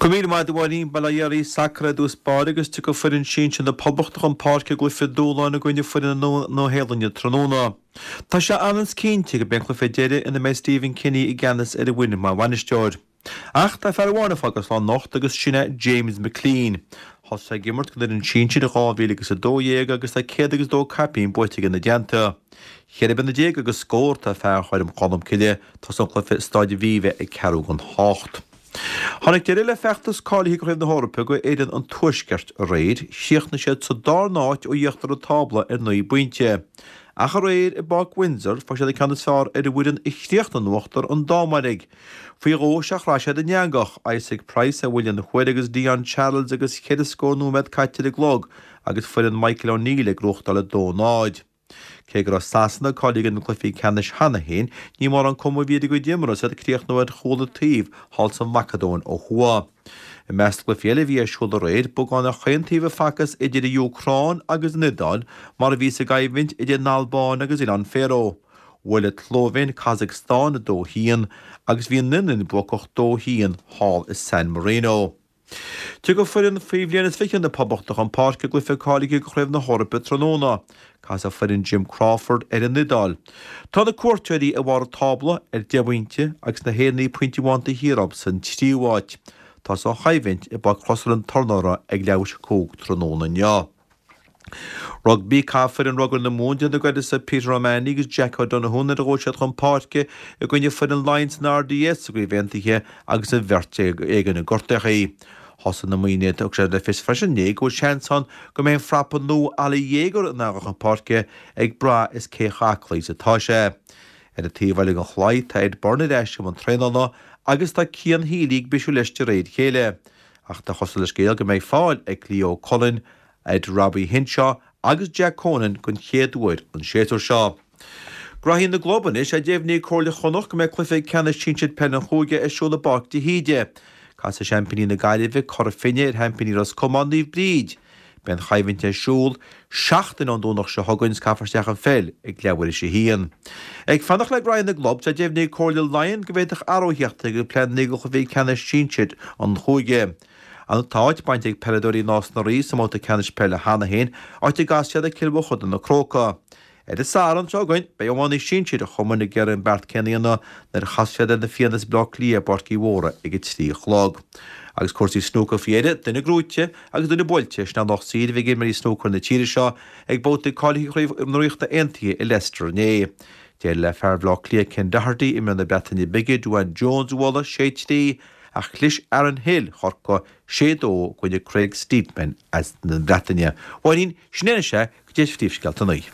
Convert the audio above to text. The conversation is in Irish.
Go raibh míle maith agat a Mháirín. Bail ó Dhia oraibh, sacar i dtús báire agus tiocfaidh foireann sinsir na Poblachta chun páirce i gcluiche dúshláin i gcoinne foireann na Nua-Shéalainne tráthnóna. Tá sé ionann is cinnte gurb é an cluiche deiridh ina mbeidh Stephen Kenny i gceannas ar an bhfoireann mar bhainisteoir. Ach tá fear amháin ag fágáil slán anocht agus sin é James McClean. Thosaigh sé ag imirt don fhoireann sinsir i 2012 agus tá 102 caipín buaite aige ina dteannta. 14 bliana agus scór atá fear Choirm Cholmcille, tosóidh an cluiche i Staid Aviva ag ceathrú don hocht. Tháinig deireadh le feachtas cáilithe do Chraobh na hEorpa do fhoireann an Tuaiscirt aréir. Chríochnaigh siad sa darna háit ó íochtar an tábla ar 9 bpointe. Ach aréir i bPáirc Windsor fuair siad an ceann is fearr ar an bhfoireann a chríochnaigh in uachtar, an Danmhairg. Faoi dhó is ea chraith siad an eangach, Isaac Price ar bhuille na huaire agus Dion Charles agus cheithre scór nóiméad caite ar an gclog agus foireann Michael O'Neill ag gnóthachtáil 2-0. Cé go raibh Sasana cáilithe do na cluichí ceannais cheana féin, ní mórán cuma a bhí ar a gcuid imeartha is iad ag críochnú ar chúl an taobh thall sa Mhacadóin ó thuaidh. I measc na gcluichí eile a bhí ar siúl aréir, beagán ar chaon taobh a facthas idir an Úcráin agus an Iodáil, mar a bhí sa gcoimhlint idir an Albáin agus Oileáin Faeró. Bhuail an tSlóivéin Kazakhstan 2-1 agus bhí an Fhionlainn buacach 2-1 thall i San Marino. Tiocfaidh foireann faoi bhliain is 20 na Poblachta chun páirce i gcluiche cáilithe do Chraobh na hEorpa tráthnóna. Casfaidh foireann Jim Crawford ar an Iodáil. Tá na cuairteoirí i mbarr an tábla ar 10 bpointe agus na hÉireannaigh pointe amháin taobh thiar dóibh san tríú háit. Tosóidh an choimhlint i bPáirc Chrosaire an Tornóra ag leathuair tar éis 5 tráthnóna inniu. Rugbaí, Caithfidh foireann rugair na Mumhan déanamh d'uireasa Peter O'Mahony agus Jack O'Donoghue nuair a ghabhfaidh siad chun páirce i gcoinne foireann Laighean san RDS sa gCraobh Aontaithe agus an bheirt again gortaithe. Thosaigh na Muimhnigh, thug sé le fios freisin inné go bhfuil seans ann go mbeidh an frapa nua Ali Jager in ann a dhul chun páirce ag brath is cé chomh aclaí is atá sé. Ar an taobh eile den chlaí tá Ed Byrne ar ais i mbun traenála agus tá Cian Healy ag bisiú leis de réir a chéile. Ach tá cosúil le scéal go mbeidh fáil ag Leo Cullen ar Robbie Henshaw agus Jack Conan den chéad uair an séasúr seo. Graithí na gclub anois, deimhníonn Comhairle Chonnacht go mbeidh cluiche ceannais sinsir peile an chúige ar siúl i bPáirc de hÍde. Casfaidh seaimpíní na Gaillimhe, Cora Finne, ar sheaimpíní Ros Comáin, Naomh Bríd. Beidh an choimhlint ar siúl seachtain ón Domhnach seo chugainn is caithfear isteach an pheil ag leathuair théis a haon. Ag fanacht le graithí na gclub, tá deimhnithe ag Comhairle Laighean go bhféadfadh athrú a theacht ar pleananna do chluichí ceannais sinsir an chúige. Tá áit bainte ag peileadóirí Nás na Rí sa mbabhta ceannais peile cheana féin, áit a gcasfaidh siad ar Cill Mhochuda na Crócaigh. Ar an Satharn seo chugainn, beidh iománaí sinsir an chumainn ag iarraidh an beart céanna a dhéanamh nuair a chasfaidh siad ar na Fianna as Baile Átha Cliath i bPáirc Uí Mhórdha ag a 3 a chlog. Agus cúrsaí snúcair faoi dheireadh, duine gnóite agus duine buailte, sin an lucht saoir a bhí ag imreoirí snúcair na tíre seo ag babhtaí cáilithe Chraobh na Ríochta Aontaithe i Leicester inné. D'éirigh le fear Bhaile Átha Cliath Ken Doherty imreoir na Breataine Bige Duane Jones a bhualadh, 6-3, ach chlis Aaron Hill Chorcaí 6-2 i gcoinne Craig Steadman as na Breataine. Mháirín, sin é anois é. Go dtí phríomhscéalta an lae.